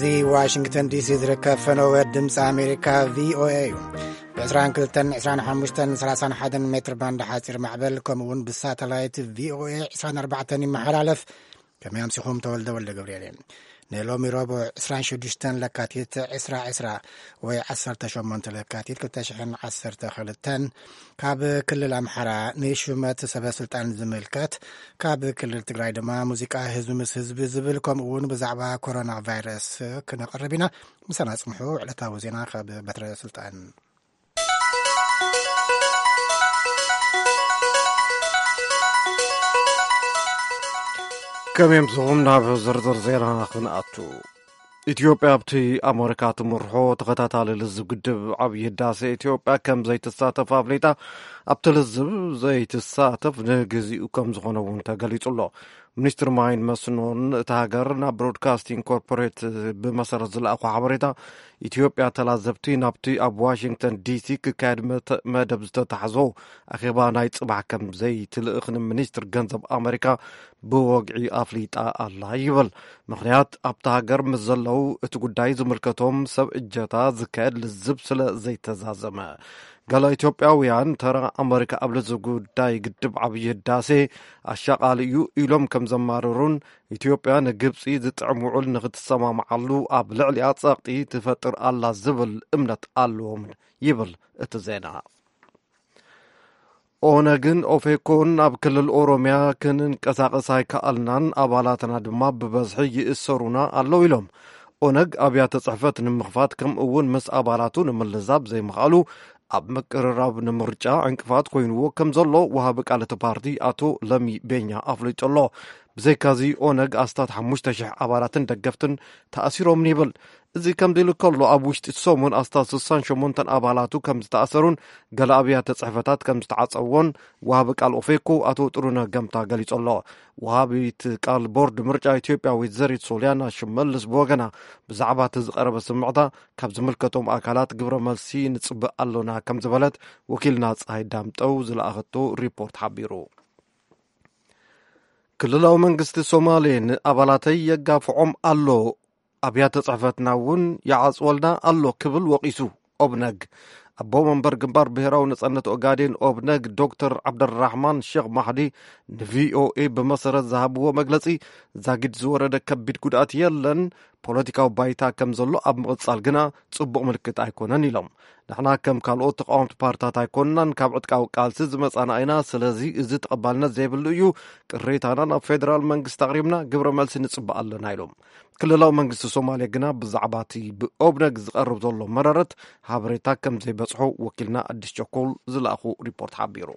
እዚ ዋሽንግተን ዲሲ ዝርከብ ፈነወ ድምፂ ኣሜሪካ ቪኦኤ እዩ። ብ22፣ 25፣ 31 ሜትር ባንድ ሓፂር ማዕበል፣ ከምኡ እውን ብሳተላይት ቪኦኤ 24 ይመሓላለፍ። ከመይ ኣምሲኹም? ተወልደ ወልደ ገብርኤል እየ። ንሎሚ ረቡዕ 26 ለካቲት 2020 ወይ 18 ለካቲት 2012፣ ካብ ክልል ኣምሓራ ንሹመት ሰበ ስልጣን ዝምልከት፣ ካብ ክልል ትግራይ ድማ ሙዚቃ ህዝቢ ምስ ህዝቢ ዝብል፣ ከምኡ እውን ብዛዕባ ኮሮና ቫይረስ ክነቕርብ ኢና። ምሳና ጽንሑ። ዕለታዊ ዜና ካብ በትረ ስልጣን። ከመይ ኣምሲኹም? ናብ ዝርዝር ዜና ክንኣቱ። ኢትዮጵያ ኣብቲ ኣመሪካ ትምርሖ ተኸታታሊ ልዝብ ግድብ ዓብዪ ህዳሴ ኢትዮጵያ ከም ዘይትሳተፍ ኣፍሊጣ። ኣብቲ ልዝብ ዘይትሳተፍ ንግዚኡ ከም ዝኾነ እውን ተገሊጹ ኣሎ። ሚኒስትሪ ማይን መስኖን እታ ሃገር ናብ ብሮድካስቲንግ ኮርፖሬት ብመሰረት ዝለኣኾ ሓበሬታ፣ ኢትዮጵያ ተላዘብቲ ናብቲ ኣብ ዋሽንግተን ዲሲ ክካየድ መተ-፣ መደብ ዝተታሕዞ ኣኼባ ናይ ጽባሕ ከም ዘይትልእኽ ንሚኒስትር ገንዘብ ኣመሪካ ብወግዒ ኣፍሊጣ ኣላ ይብል። ምኽንያት፣ ኣብታ ሃገር ምስ ዘለዉ እቲ ጉዳይ ዝምልከቶም ሰብ እጀታ ዝካየድ ልዝብ ስለ ዘይተዛዘመ። ገለ ኢትዮጵያውያን፣ ተራ ኣመሪካ ኣብ ልዝብ ጉዳይ ግድብ ዓብዪ ህዳሴ ኣሻቓሊ እዩ ኢሎም ከም ዘማርሩን፣ ኢትዮጵያ ንግብጺ ዝጥዕም ውዕል ንኽትሰማምዓሉ ኣብ ልዕሊኣ ጸቕጢ ትፈጥር ኣላ ዝብል እምነት ኣለዎም ይብል እቲ ዜና። ኦነግን ኦፌኮን ኣብ ክልል ኦሮምያ ክንንቀሳቐስ ኣይከኣልናን፣ ኣባላትና ድማ ብበዝሒ ይእሰሩና ኣለዉ ኢሎም። ኦነግ ኣብያተ ጽሕፈት ንምኽፋት፣ ከምኡ እውን ምስ ኣባላቱ ንምልዛብ ዘይምኽኣሉ፣ ኣብ ምቅርራብ ንምርጫ ዕንቅፋት ኮይንዎ ከም ዘሎ ወሃቢ ቃል እቲ ፓርቲ ኣቶ ለሚ ቤኛ ኣፍሊጡ ኣሎ። ብዘይካዚ፣ ኦነግ ኣስታት ሓሙሽተ ሽሕ ኣባላትን ደገፍትን ተኣሲሮምን ይብል። እዚ ከምዚ ኢሉ ከሎ፣ ኣብ ውሽጢ ሰሙን ኣስታት ስሳን ሸሞንተን ኣባላቱ ከም ዝተኣሰሩን ገለ ኣብያተ ጽሕፈታት ከም ዝተዓጸዎን ወሃቢ ቃል ኦፌኮ ኣቶ ጥሩነህ ገምታ ገሊጹ ኣሎ። ወሃቢት ቃል ቦርድ ምርጫ ኢትዮጵያ ወይዘሪት ሶልያና ሽመልስ ብወገና፣ ብዛዕባ እቲ ዝቐረበ ስምዕታ ካብ ዝምልከቶም ኣካላት ግብረ መልሲ ንጽበ ኣሎና ከም ዝበለት ወኪልና ጸሃይ ዳምጠው ዝለኣኸቶ ሪፖርት ሓቢሩ። ክልላዊ መንግስቲ ሶማሌ ንኣባላተይ የጋፍዖም ኣሎ፣ ኣብያተ ጽሕፈትና እውን ይዓጽወልና ኣሎ ክብል ወቒሱ። ኦብነግ፣ ኣቦ መንበር ግንባር ብሔራዊ ነጻነት ኦጋዴን ኦብነግ ዶክተር ዓብደራሕማን ሼክ ማሕዲ ንቪኦኤ ብመሰረት ዝሃብዎ መግለጺ፣ ዛጊድ ዝወረደ ከቢድ ጉድኣት የለን፣ ፖለቲካዊ ባይታ ከም ዘሎ ኣብ ምቕጻል ግና ጽቡቕ ምልክት ኣይኮነን ኢሎም። ንሕና ከም ካልኦት ተቃወምቲ ፓርትታት ኣይኮንናን፣ ካብ ዕጥቃዊ ቃልሲ ዝመጻና ኢና። ስለዚ እዚ ተቐባልነት ዘይብሉ እዩ። ቅሬታና ናብ ፌደራል መንግስቲ ኣቕሪብና ግብረ መልሲ ንጽበ ኣለና ኢሎም። ክልላዊ መንግስቲ ሶማሌ ግና ብዛዕባ እቲ ብኦብነግ ዝቐርብ ዘሎ መረረት ሓበሬታ ከም ዘይበጽሖ ወኪልና ኣዲስ ቸኮል ዝለኣኹ ሪፖርት ሓቢሩ።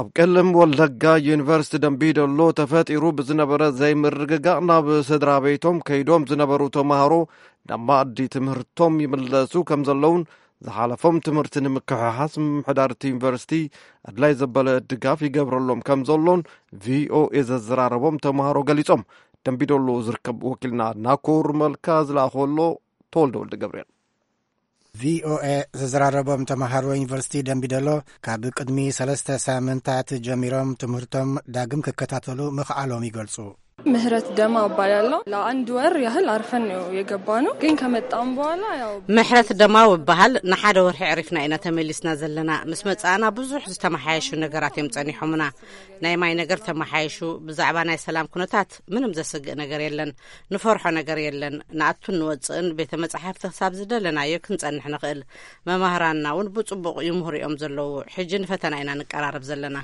ኣብ ቀለም ወለጋ ዩኒቨርሲቲ ደምቢዶሎ ተፈጢሩ ብዝነበረ ዘይምርግጋእ ናብ ስድራ ቤቶም ከይዶም ዝነበሩ ተምሃሮ ናብ መኣዲ ትምህርቶም ይምለሱ ከም ዘለውን ዝሓለፎም ትምህርቲ ንምክሕሓስ ምምሕዳር እቲ ዩኒቨርሲቲ ኣድላይ ዘበለ ድጋፍ ይገብረሎም ከም ዘሎን ቪኦኤ ዘዘራረቦም ተምሃሮ ገሊጾም። ደምቢዶሎ ዝርከብ ወኪልና ናኮር መልካ ዝለኣኸሎ ተወልደ ወልደ ገብርኤል። ቪኦኤ ዘዘራረቦም ተምሃሮ ዩኒቨርሲቲ ደምቢዶሎ ካብ ቅድሚ ሰለስተ ሳምንታት ጀሚሮም ትምህርቶም ዳግም ክከታተሉ ምኽኣሎም ይገልጹ። ምህረት ደማ እባላለሁ። ለአንድ ወር ያህል አርፈን ነው የገባነው፣ ግን ከመጣን በኋላ ያው ምሕረት ደማው እበሃል። ንሓደ ወርሒ ዕሪፍና ኢና ተመሊስና ዘለና። ምስ መጻእና ብዙሕ ዝተመሓየሹ ነገራት እዮም ጸኒሖምና። ናይ ማይ ነገር ተመሓይሹ። ብዛዕባ ናይ ሰላም ኩነታት ምንም ዘስግእ ነገር የለን። ንፈርሖ ነገር የለን። ንኣቱን ንወጽእን ቤተ መጻሕፍቲ ክሳብ ዝደለናዮ ክንጸንሕ ንኽእል። መማህራንና እውን ብጽቡቕ ይምህሩ እዮም ዘለዉ። ሕጂ ንፈተና ኢና ንቀራረብ ዘለና።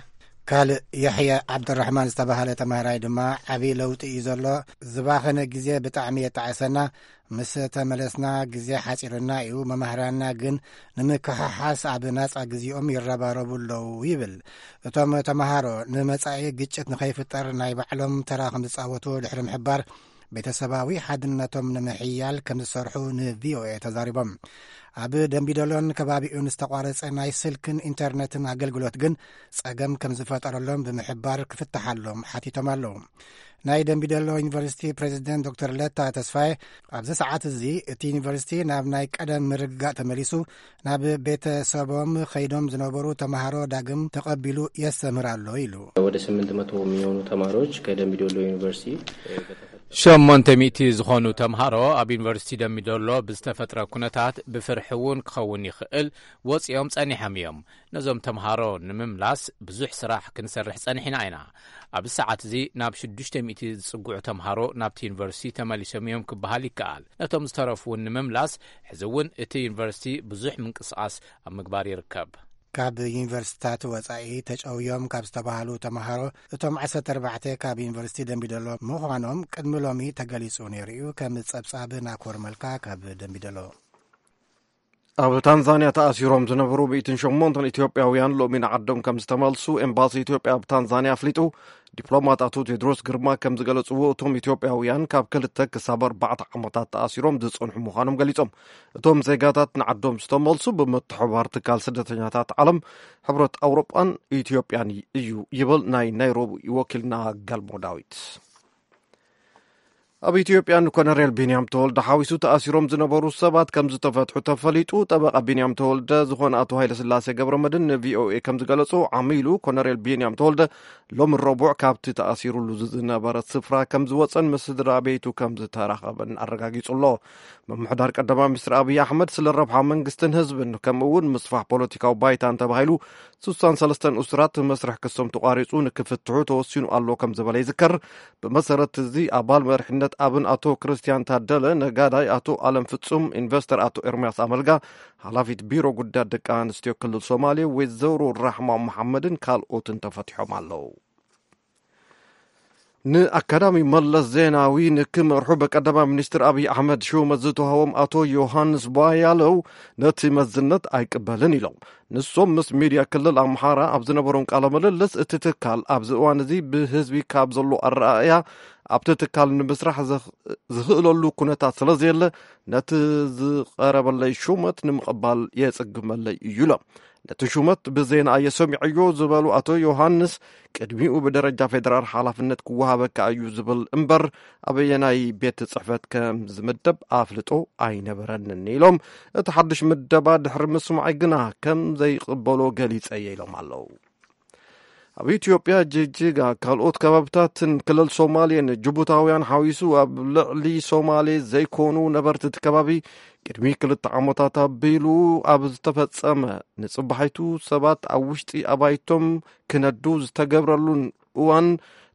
ካልእ የሕያ ዓብደራሕማን ዝተባህለ ተማሃራይ ድማ፣ ዓብዪ ለውጢ እዩ ዘሎ። ዝባኸነ ግዜ ብጣዕሚ የጣዕሰና። ምስ ተመለስና ግዜ ሓጺርና እዩ። መማህራንና ግን ንምክሕሓስ ኣብ ናጻ ግዜኦም ይረባረቡ ኣለዉ ይብል። እቶም ተማሃሮ ንመጻኢ ግጭት ንኸይፍጠር ናይ ባዕሎም ተራ ከም ዝጻወቱ ድሕሪ ምሕባር፣ ቤተሰባዊ ሓድነቶም ንምሕያል ከም ዝሰርሑ ንቪኦኤ ተዛሪቦም። ኣብ ደምቢዶሎን ከባቢኡን ዝተቋረጸ ናይ ስልክን ኢንተርነትን ኣገልግሎት ግን ጸገም ከም ዝፈጠረሎም ብምሕባር ክፍትሓሎም ሓቲቶም ኣለዉ። ናይ ደምቢዶሎ ዩኒቨርሲቲ ፕሬዚደንት ዶክተር ለታ ተስፋዬ፣ ኣብዚ ሰዓት እዚ እቲ ዩኒቨርሲቲ ናብ ናይ ቀደም ምርግጋእ ተመሊሱ፣ ናብ ቤተሰቦም ከይዶም ዝነበሩ ተምሃሮ ዳግም ተቐቢሉ የስተምህር ኣሎ ኢሉ። ወደ ስምንት መቶ የሚሆኑ ተማሪዎች ከደምቢ ዶሎ ዩኒቨርሲቲ በተፈ- ሸሞንተ ሚእቲ ዝኾኑ ተምሃሮ ኣብ ዩኒቨርሲቲ ደምቢዶሎ ብዝተፈጥረ ኩነታት ብፍርሒ እውን ክኸውን ይኽእል ወፂኦም ጸኒሖም እዮም። ነዞም ተምሃሮ ንምምላስ ብዙሕ ስራሕ ክንሰርሕ ጸኒሕና ኢና። ኣብዚ ሰዓት እዚ ናብ ሽዱሽተ ሚእቲ ዝጽግዑ ተምሃሮ ናብቲ ዩኒቨርሲቲ ተመሊሶም እዮም ክበሃል ይከኣል። ነቶም ዝተረፉ እውን ንምምላስ ሕዚ እውን እቲ ዩኒቨርሲቲ ብዙሕ ምንቅስቓስ ኣብ ምግባር ይርከብ። ካብ ዩኒቨርሲቲታት ወጻኢ ተጨውዮም ካብ ዝተባህሉ ተምሃሮ እቶም ዓሰርተ ኣርባዕተ ካብ ዩኒቨርሲቲ ደምቢዶሎ ምዃኖም ቅድሚ ሎሚ ተገሊጹ ነይሩ እዩ። ከም ጸብጻብ ናኮር መልካ ካብ ደምቢዶሎ። ኣብ ታንዛንያ ተኣሲሮም ዝነበሩ ሚእትን ሸሞንተን ኢትዮጵያውያን ሎሚ ንዓዶም ከም ዝተመልሱ ኤምባሲ ኢትዮጵያ ኣብ ታንዛንያ ኣፍሊጡ። ዲፕሎማት ኣቶ ቴድሮስ ግርማ ከም ዝገለጽዎ፣ እቶም ኢትዮጵያውያን ካብ ክልተ ክሳብ ኣርባዕተ ዓመታት ተኣሲሮም ዝጸንሑ ምዃኖም ገሊጾም። እቶም ዜጋታት ንዓዶም ዝተመልሱ ብምትሕብባር ትካል ስደተኛታት ዓለም፣ ሕብረት ኣውሮጳን ኢትዮጵያን እዩ ይብል ናይ ናይሮቢ ወኪልና ገልሞ ዳዊት። ኣብ ኢትዮጵያ ንኮነሬል ቢንያም ተወልደ ሓዊሱ ተኣሲሮም ዝነበሩ ሰባት ከም ዝተፈትሑ ተፈሊጡ። ጠበቓ ቢንያም ተወልደ ዝኾነ ኣቶ ሃይለስላሴ ገብረመድህን ንቪኦኤ ከም ዝገለጾ፣ ዓሚሉ ኮነሬል ቢንያም ተወልደ ሎሚ ረቡዕ ካብቲ ተኣሲሩሉ ዝነበረ ስፍራ ከም ዝወጸን ምስ ስድራ ቤቱ ከም ዝተራኸበን ኣረጋጊጹ ኣሎ። ምምሕዳር ቀዳማይ ሚኒስትር ኣብይ ኣሕመድ ስለ ረብሓ መንግስትን ህዝብን ከምኡ እውን ምስፋሕ ፖለቲካዊ ባይታን ተባሂሉ ስሳን ሰለስተን እሱራት መስርሕ ክሶም ተቋሪጹ ንክፍትሑ ተወሲኑ ኣሎ ከም ዝበለ ይዝከር። ብመሰረት እዚ ኣባል መሪሕነት ኣብን ኣቶ ክርስቲያን ታደለ፣ ነጋዳይ ኣቶ ኣለም ፍጹም፣ ኢንቨስተር ኣቶ ኤርምያስ ኣመልጋ፣ ሓላፊት ቢሮ ጉዳያት ደቂ ኣንስትዮ ክልል ሶማሌ ወይዘሮ ራሕማ መሓመድን ካልኦትን ተፈቲሖም ኣለዉ። ንኣካዳሚ መለስ ዜናዊ ንክመርሑ ብቀዳማይ ሚኒስትር ኣብይ ኣሕመድ ሹመት ዝተዋህቦም ኣቶ ዮሃንስ ቧያለው ነቲ መዝነት ኣይቅበልን ኢሎም። ንሶም ምስ ሚድያ ክልል ኣምሓራ ኣብ ዝነበሮም ቃለ ምልልስ፣ እቲ ትካል ኣብዚ እዋን እዚ ብህዝቢ ካብ ዘሎ ኣረኣእያ ኣብቲ ትካል ንምስራሕ ዝኽ-፣ ዝኽእለሉ ኩነታት ስለ ዘየለ፣ ነቲ ዝቐረበለይ ሹመት ንምቕባል የጽግመለይ እዩ ኢሎም። ነቲ ሹመት ብዜና እየ ሰሚዐዮ ዝበሉ ኣቶ ዮሃንስ፣ ቅድሚኡ ብደረጃ ፌደራል ሓላፍነት ክወሃበካ እዩ ዝብል እምበር፣ ኣበየናይ ቤት ጽሕፈት ከም ዝምደብ ኣፍልጦ ኣይነበረንን ኢሎም። እቲ ሓድሽ ምደባ ድሕሪ ምስማዐይ ግና ከም ዘይቕበሎ ገሊጸ እየ ኢሎም ኣለዉ። ኣብ ኢትዮጵያ ጅጅጋ፣ ካልኦት ከባብታትን ክልል ሶማሌን ጅቡታውያን ሓዊሱ ኣብ ልዕሊ ሶማሌ ዘይኮኑ ነበርቲ እቲ ከባቢ ቅድሚ ክልተ ዓመታት ኣቢሉ ኣብ ዝተፈጸመ ንጽባሒቱ ሰባት ኣብ ውሽጢ ኣባይቶም ክነዱ ዝተገብረሉን እዋን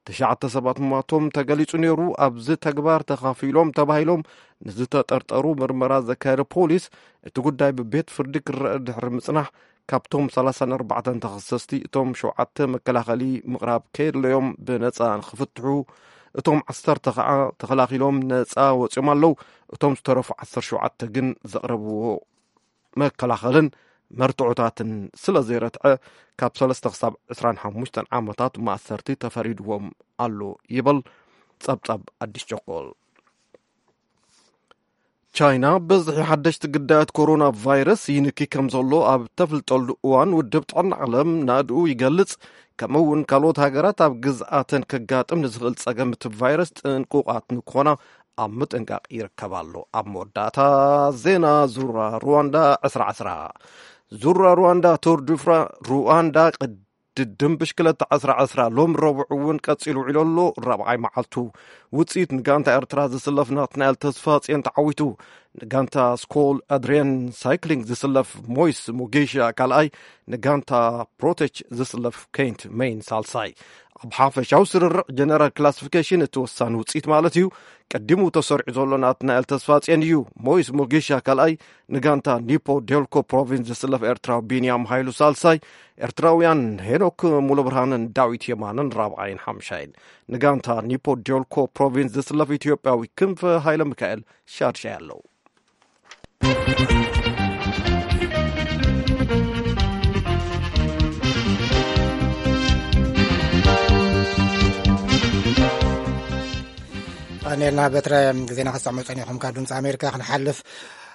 ትሽዓተ ሰባት ምሟቶም ተገሊጹ ነይሩ። ኣብዚ ተግባር ተኻፊሎም ተባሂሎም ንዝተጠርጠሩ ምርመራ ዘካየደ ፖሊስ፣ እቲ ጉዳይ ብቤት ፍርዲ ክረአ ድሕሪ ምጽናሕ፣ ካብቶም ሰላሳን ኣርባዕተን ተኸሰስቲ፣ እቶም ሸውዓተ መከላኸሊ ምቕራብ ከየድለዮም ብነጻ ንኽፍትሑ፣ እቶም ዓሰርተ ኸዓ ተኸላኺሎም ነጻ ወጺኦም ኣለዉ። እቶም ዝተረፉ ዓሰርተ ሸውዓተ ግን ዘቕረብዎ መከላኸልን መርትዖታትን ስለ ዘይረትዐ፣ ካብ ሰለስተ ክሳብ ዕስራን ሓሙሽተን ዓመታት ማእሰርቲ ተፈሪድዎም ኣሎ ይብል ጸብጻብ ኣዲስ ቸኮል። ቻይና፣ ብዝሒ ሓደሽቲ ግዳያት ኮሮና ቫይረስ ይንኪ ከም ዘሎ ኣብ ተፍልጠሉ እዋን፣ ውድብ ጥዕና ዓለም ናእድኡ ይገልጽ። ከምኡ እውን ካልኦት ሃገራት ኣብ ግዝኣተን ከጋጥም ንዝኽእል ጸገም እቲ ቫይረስ ጥንቁቓት ንክኾና ኣብ ምጥንቃቕ ይርከብ ኣሎ። ኣብ መወዳእታ ዜና፣ ዙራ ሩዋንዳ ዕስራ ዕስራ። ዙራ ሩዋንዳ፣ ቱር ዱ ፍራ-፣ ሩዋንዳ ቅድድም ብሽክለታ ዕስራ ዕስራ ሎም ረቡዕ እውን ቀጺሉ ውዒሉ ኣሎ። ራብዓይ መዓልቱ ውጽኢት ንጋንታ ኤርትራ ዝስለፍ ናትናኤል ተስፋጽዮን ተዓዊቱ። ንጋንታ ስኮል ኣድሪያን ሳይክሊንግ ዝስለፍ ሞይስ ሞጌሻ ካልኣይ፣ ንጋንታ ፕሮቴች ዝስለፍ ኬንት ሜይን ሳልሳይ። ኣብ ሓፈሻዊ ስርርዕ ጀነራል ክላሲፊኬሽን እቲ ወሳኒ ውጽኢት ማለት እዩ። ቀዲሙ ተሰሪዑ ዘሎ ናትናኤል ተስፋጽዮን እዩ። ሞይስ ሞጌሻ ካልኣይ፣ ንጋንታ ኒፖ ዴልኮ ፕሮቪንስ ዝስለፍ ኤርትራዊ ቢንያም ሃይሉ ሳልሳይ፣ ኤርትራውያን ሄኖክ ሙሉብርሃንን ዳዊት የማንን ራብዓይን ሓምሻይን፣ ንጋንታ ኒፖ ዴልኮ ፕሮቪንስ ዝስለፍ ኢትዮጵያዊ ክንፈ ሃይለ ሚካኤል ሻድሻይ ኣለዉ። ቀኒልና በትረ ዜና ከሰምዑ ጸኒኹም ካብ ድምፂ ኣሜሪካ ክንሓልፍ።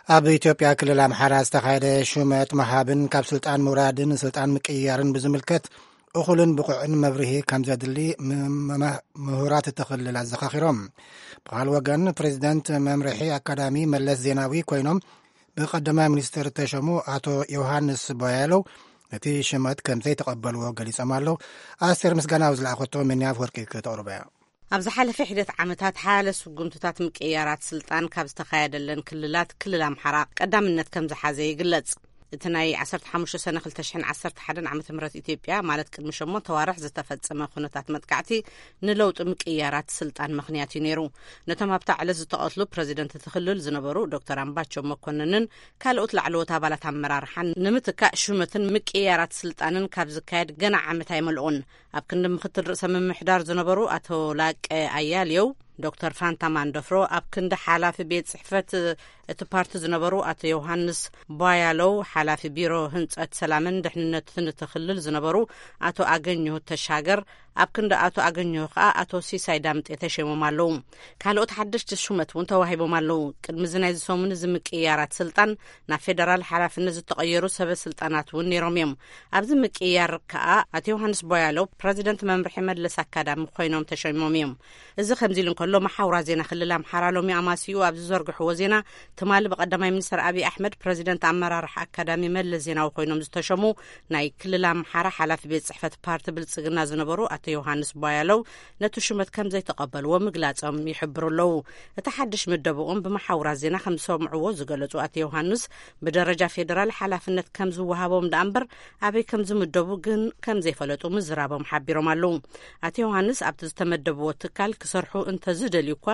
ኣብ ኢትዮጵያ ክልል ኣምሓራ ዝተኻየደ ሹመት ምሃብን ካብ ስልጣን ምውራድን ስልጣን ምቅይያርን ብዝምልከት እኹልን ብቑዕን መብርሂ ከም ዘድሊ ም-፣ ም-፣ ምሁራት እቲ ክልል ኣዘኻኺሮም። ብኻል ወገን ፕሬዚደንት መምርሒ ኣካዳሚ መለስ ዜናዊ ኮይኖም ብቀዳማይ ሚኒስትር ተሸሙ ኣቶ ዮሃንስ ቦያለው ነቲ ሽመት ከም ዘይተቐበልዎ ገሊጾም ኣለዉ። ኣስቴር ምስጋናው ዝለኣኸቶ ሚኒያፍ ወርቂ ክተቕርቦ እያ። ኣብ ዝሓለፈ ሒደት ዓመታት ሓያለ ስጉምትታት ምቅይያራት ስልጣን ካብ ዝተኻየደለን ክልላት፣ ክልል ኣምሓራ ቀዳምነት ከም ዝሓዘ ይግለጽ። እቲ ናይ ዓሰርተ ሓሙሽተ ሰነ ክልተ ሽሕን ዓሰርተ ሓደን ዓመተ ምህረት ኢትዮጵያ፣ ማለት ቅድሚ ሸሞንተ ዋርሕ ዝተፈጸመ ኩነታት መጥቃዕቲ፣ ንለውጢ ምቅይያራት ስልጣን ምኽንያት እዩ ነይሩ። ነቶም ኣብታ ዕለት ዝተቐትሉ ፕረዚደንት እቲ ክልል ዝነበሩ ዶክተር ኣምባቸው መኮንንን ካልኦት ላዕለዎት ኣባላት ኣመራርሓን ንምትካእ ሹመትን ምቅይያራት ስልጣንን ካብ ዝካየድ ገና ዓመት ኣይመልኡን። ኣብ ክንዲ ምክትል ርእሰ ምምሕዳር ዝነበሩ ኣቶ ላቀ ኣያሌው፣ ዶክተር ፋንታ ማንደፍሮ፣ ኣብ ክንዲ ሓላፊ ቤት ጽሕፈት እቲ ፓርቲ ዝነበሩ ኣቶ ዮሃንስ ቧያለው፣ ሓላፊ ቢሮ ህንጸት ሰላምን ድሕንነትን እቲ ክልል ዝነበሩ ኣቶ ኣገኘሁ ተሻገር፣ ኣብ ክንዲ ኣቶ ኣገኘሁ ከኣ ኣቶ ሲሳይ ዳምጤ ተሸይሞም ኣለዉ። ካልኦት ሓደሽቲ ሹመት እውን ተዋሂቦም ኣለዉ። ቅድሚ እዚ ናይዚ ሰሙን እዚ ምቅይያራት ስልጣን፣ ናብ ፌደራል ሓላፍነት ዝተቐየሩ ሰበ ስልጣናት እውን ነይሮም እዮም። ኣብዚ ምቅይያር ከኣ ኣቶ ዮሃንስ ቧያለው ፕረዚደንት መምርሒ መለስ ኣካዳሚ ኮይኖም ተሸይሞም እዮም። እዚ ከምዚ ኢሉ እንከሎ፣ መሓውራ ዜና ክልል ኣምሓራ ሎሚ ኣማሲኡ ኣብ ዝዘርግሕዎ ዜና፣ ትማሊ ብቀዳማይ ሚኒስትር ኣብይ ኣሕመድ ፕረዚደንት ኣመራርሓ ኣካዳሚ መለስ ዜናዊ ኮይኖም ዝተሸሙ ናይ ክልል ኣምሓራ ሓላፊ ቤት ጽሕፈት ፓርቲ ብልጽግና ዝነበሩ ኣቶ ዮሃንስ ቧያለው ነቲ ሹመት ከም ዘይተቐበልዎ ምግላጾም ይሕብሩ ኣለዉ። እቲ ሓድሽ ምደብኦም ብመሓውራ ዜና ከም ዝሰምዕዎ ዝገለጹ ኣቶ ዮሃንስ፣ ብደረጃ ፌደራል ሓላፍነት ከም ዝወሃቦም ደኣ እምበር ኣበይ ከም ዝምደቡ ግን ከም ዘይፈለጡ ምዝራቦም ሓቢሮም ኣለዉ። ኣቶ ዮሃንስ ኣብቲ ዝተመደብዎ ትካል ክሰርሑ እንተዝደልዩ እኳ፣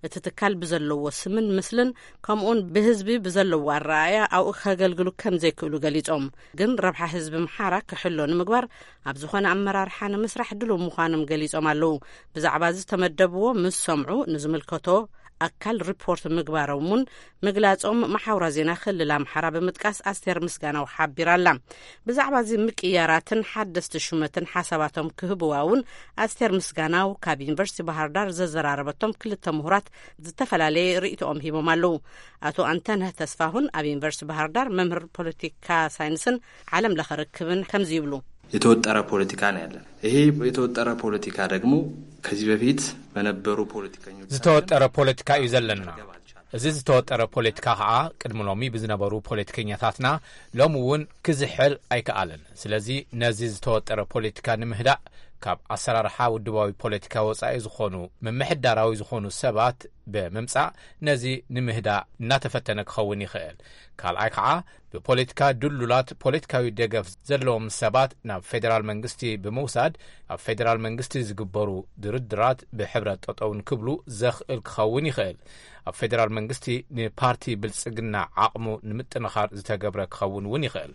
እቲ ትካል ብዘለዎ ስምን ምስልን ከምኡውን ብህዝቢ ብዘለዎ ኣረኣእያ ኣብኡ ከገልግሉ ከም ዘይክእሉ ገሊጾም። ግን ረብሓ ህዝቢ ኣምሓራ ክሕሎ ንምግባር ኣብ ዝኾነ ኣመራርሓ ንምስራሕ ድሉው ምዃኖም ገሊጾም ኣለዉ። ብዛዕባ እዚ ዝተመደብዎ ምስ ሰምዑ ንዝምልከቶ ኣካል ሪፖርት ምግባሮም እውን ምግላጾም መሓውራ ዜና ክልል ኣምሓራ ብምጥቃስ ኣስቴር ምስጋናው ሓቢራ ኣላ። ብዛዕባ እዚ ምቅያራትን ሓደስቲ ሹመትን ሓሳባቶም ክህብዋ እውን ኣስቴር ምስጋናው ካብ ዩኒቨርሲቲ ባህር ዳር ዘዘራረበቶም ክልተ ምሁራት ዝተፈላለየ ርእይቶኦም ሂቦም ኣለዉ። ኣቶ ኣንተነህ ተስፋሁን ኣብ ዩኒቨርሲቲ ባህር ዳር መምህር ፖለቲካ ሳይንስን ዓለም ለኸ ርክብን ከምዚ ይብሉ። የተወጠረ ፖለቲካ ነው ያለን። ይሄ የተወጠረ ፖለቲካ ደግሞ ከዚህ በፊት በነበሩ ፖለቲከኞች ዝተወጠረ ፖለቲካ እዩ ዘለና። እዚ ዝተወጠረ ፖለቲካ ኸዓ ቅድሚ ሎሚ ብዝነበሩ ፖለቲከኛታትና ሎሚ እውን ክዝሕል ኣይከኣለን። ስለዚ ነዚ ዝተወጠረ ፖለቲካ ንምህዳእ ካብ ኣሰራርሓ ውድባዊ ፖለቲካ ወጻኢ ዝኾኑ ምምሕዳራዊ ዝኾኑ ሰባት ብምምጻእ ነዚ ንምህዳእ እናተፈተነ ክኸውን ይኽእል። ካልኣይ ከዓ ብፖለቲካ ድሉላት ፖለቲካዊ ደገፍ ዘለዎም ሰባት ናብ ፌደራል መንግስቲ ብምውሳድ ኣብ ፌደራል መንግስቲ ዝግበሩ ድርድራት ብሕብረት ጠጠው ንክብሉ ዘኽእል ክኸውን ይኽእል። ኣብ ፌደራል መንግስቲ ንፓርቲ ብልጽግና ዓቕሙ ንምጥንኻር ዝተገብረ ክኸውን እውን ይኽእል።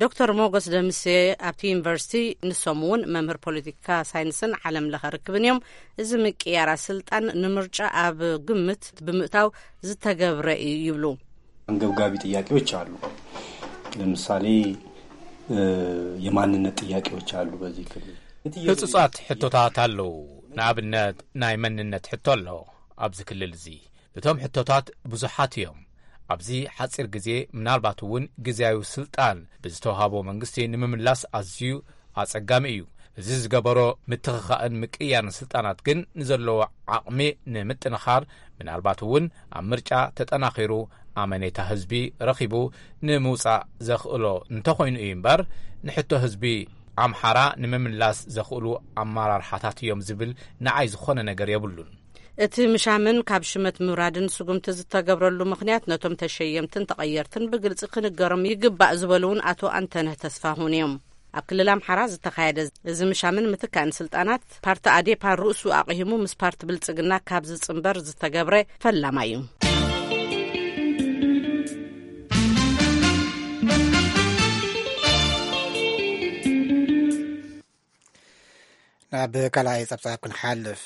ዶክተር ሞጎስ ደምሴ ኣብቲ ዩኒቨርሲቲ፣ ንሶም እውን መምህር ፖለቲካ ሳይንስን ዓለም ለኸ ርክብን እዮም። እዚ ምቅያራ ስልጣን ንምርጫ ኣብ ግምት ብምእታው ዝተገብረ እዩ ይብሉ። አንገብጋቢ ጥያቄዎች አሉ። ለምሳሌ የማንነት ጥያቄዎች አሉ። በዚህ ክልል ህጹጻት ሕቶታት ኣለዉ። ንኣብነት ናይ መንነት ሕቶ ኣሎ ኣብዚ ክልል እዚ። እቶም ሕቶታት ብዙሓት እዮም። ኣብዚ ሓጺር ግዜ ምናልባት እውን ግዜያዊ ስልጣን ብዝተዋሃቦ መንግስቲ ንምምላስ ኣዝዩ ኣጸጋሚ እዩ። እዚ ዝገበሮ ምትኽኻእን ምቅያርን ስልጣናት ግን ንዘለዎ ዓቕሚ ንምጥንኻር፣ ምናልባት እውን ኣብ ምርጫ ተጠናኺሩ ኣመኔታ ህዝቢ ረኺቡ ንምውጻእ ዘኽእሎ እንተኾይኑ እዩ እምበር፣ ንሕቶ ህዝቢ ኣምሓራ ንምምላስ ዘኽእሉ ኣመራርሓታት እዮም ዝብል ንዓይ ዝኾነ ነገር የብሉን። እቲ ምሻምን ካብ ሽመት ምውራድን ስጉምቲ ዝተገብረሉ ምኽንያት፣ ነቶም ተሸየምትን ተቐየርትን ብግልጺ ክንገሮም ይግባእ ዝበሉ እውን ኣቶ ኣንተነህ ተስፋሁን እዮም። ኣብ ክልል ኣምሓራ ዝተኻየደ እዚ ምሻምን ምትካእን ስልጣናት፣ ፓርቲ ኣዴፓ ርእሱ ኣቕሂሙ ምስ ፓርቲ ብልጽግና ካብ ዝጽንበር ዝተገብረ ፈላማ እዩ። ናብ ካልኣይ ጸብጻብ ክንሓልፍ።